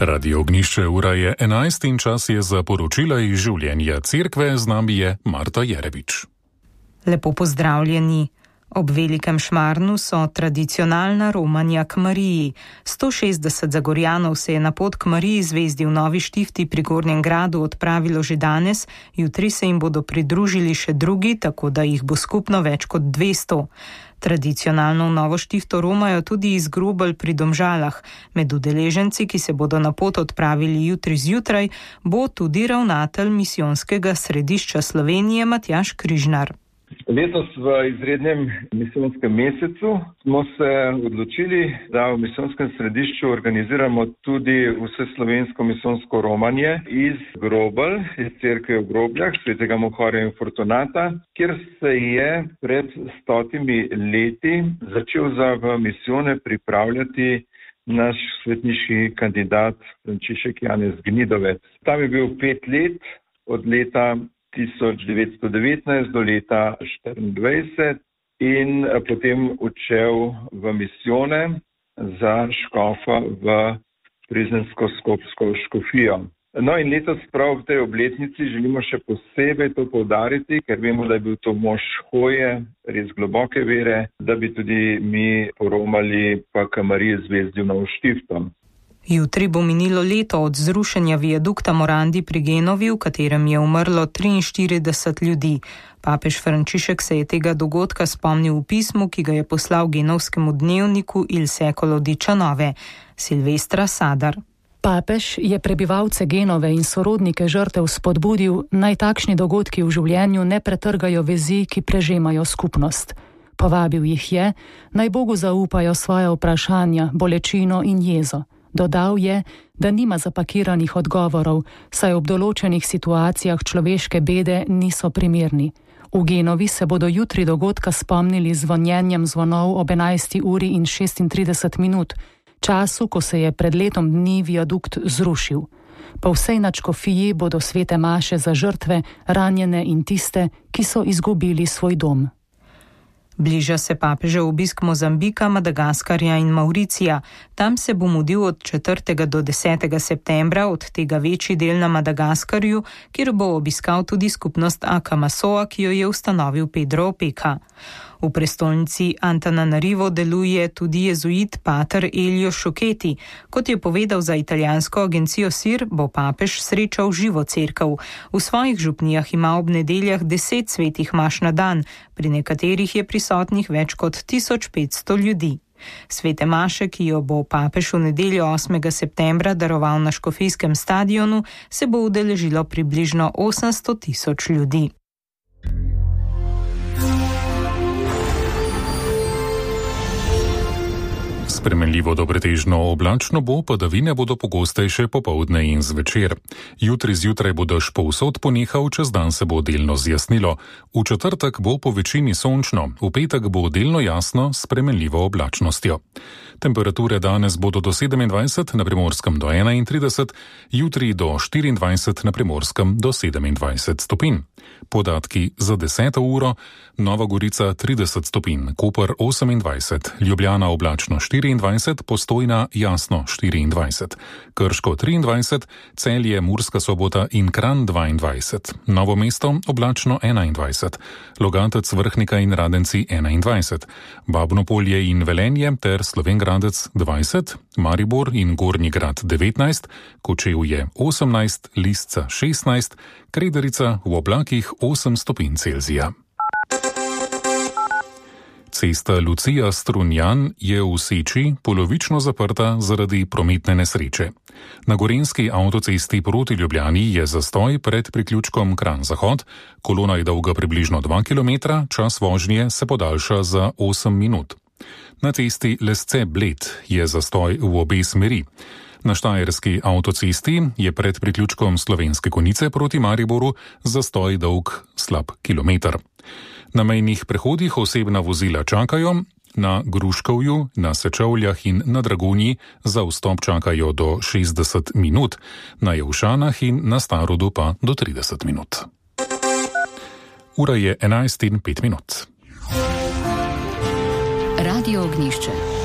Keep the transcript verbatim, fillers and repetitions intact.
Radio Ognišče, ura je enajst in čas je za poročila iz življenja cerkve, z nami je Marta Jerevič. Lepo pozdravljeni. Ob Velikem Šmarnu so tradicionalna romanja k Mariji. sto šestdeset Zagorjanov se je na pot k Mariji zvezdi v Novi Štifti pri Gornjem Gradu odpravilo že danes, jutri se jim bodo pridružili še drugi, tako da jih bo skupno več kot dvesto. Tradicionalno v Novo Štifto romajo tudi iz Grobelj pri Domžalah. Med udeleženci, ki se bodo na pot odpravili jutri zjutraj, bo tudi ravnatelj misijonskega središča Slovenije Matjaž Križnar. Letos v izrednem misijonskem mesecu smo se odločili, da v misijonskem središču organiziramo tudi vseslovensko misijsko romanje iz Grobelj, iz cerkve v Grobljah, svetega Mohorja in Fortunata, kjer se je pred stotimi leti začel za v misijone pripravljati naš svetniški kandidat Frančišek Janez Gnidovec. Tam je bil pet let, od leta tisoč devetsto devetnajst do leta štiriindvajset in potem odšel v misijone za škofa v Frizensko-Skopsko škofijo. No in letos prav v tej obletnici želimo še posebej to poudariti, ker vemo, da je bil to mož hoje, res globoke vere, da bi tudi mi poromali pa k Mariji zvezdi v Novo Štifto. Jutri bo minilo leto od zrušenja viadukta Morandi pri Genovi, v katerem je umrlo triinštirideset ljudi. Papež Frančišek se je tega dogodka spomnil v pismu, ki ga je poslal genovskemu dnevniku Il Secolo diciannove. Silvestra Sadar. Papež je prebivalce Genove in sorodnike žrtev spodbudil, naj takšni dogodki v življenju ne pretrgajo vezi, ki prežemajo skupnost. Povabil jih je, naj Bogu zaupajo svoje vprašanja, bolečino in jezo. Dodal je, da nima zapakiranih odgovorov, saj ob določenih situacijah človeške bede niso primerni. V Genovi se bodo jutri dogodka spomnili z zvonjenjem zvonov ob enajsti uri in šestintrideset minut, času, ko se je pred letom dni viadukt zrušil. Po vsej nadškofiji bodo svete maše za žrtve, ranjene in tiste, ki so izgubili svoj dom. Bliža se papežev obisk Mozambika, Madagaskarja in Mauricija. Tam se bo mudil od četrtega do desetega septembra, od tega večji del na Madagaskarju, kjer bo obiskal tudi skupnost Akamasoa, ki jo je ustanovil Pedro Opeka. V prestolnici Antananarivo deluje tudi jezuit pater Elio Šoketi. Kot je povedal za italijansko agencijo S I R, bo papež srečal živo cerkev. V svojih župnijah ima ob nedeljah deset svetih maš na dan, pri nekaterih je prisotnih več kot tisoč petsto ljudi. Svete maše, ki jo bo papež v nedeljo osmega septembra daroval na škofijskem stadionu, se bo udeležilo približno osemsto tisoč ljudi. Spremenljivo do pretežno oblačno bo, padavine bodo pogostejše popoldne in zvečer. Jutri zjutraj bo dež povsod ponehal, čez dan se bo delno zjasnilo. V četrtek bo po večini sončno, v petek bo delno jasno s spremenljivo oblačnostjo. Temperature danes bodo do sedemindvajset, na Primorskem do enaintrideset, jutri do štiriindvajset, na Primorskem do sedemindvajset stopinj. Podatki za deseto uro: Nova Gorica trideset stopinj, Koper osemindvajset, Ljubljana oblačno štiriindvajset, Postojna jasno štiriindvajset, Krško triindvajset, Celje, Murska Sobota in Kranj dvaindvajset, Novo mesto oblačno enaindvajset, Logatec, Vrhnika in Radenci enaindvajset, Babno Polje in Velenje ter Slovenj Gradec dvajset, Maribor in Gornji Grad devetnajst, Kočevje osemnajst, Lisca šestnajst, Krederica v oblakih osem stopinj Celzija. Cesta Lucija-Strunjan je v Seči polovično zaprta zaradi prometne nesreče. Na gorenjski avtocesti proti Ljubljani je zastoj pred priključkom Kranj-Zahod, kolona je dolga približno dva kilometra, čas vožnje se podaljša za osem minut. Na cesti Lesce-Bled je zastoj v obe smeri. Na štajerski avtocesti je pred priključkom Slovenske Konjice proti Mariboru zastoj dolg slab kilometer. Na mejnih prehodih osebna vozila čakajo, na Gruškovju, na Sečovljah in na Dragonji za vstop čakajo do šestdeset minut, na Jevšanah in na Starodu pa do trideset minut. Ura je enajst in pet minut. Radio Ognišče.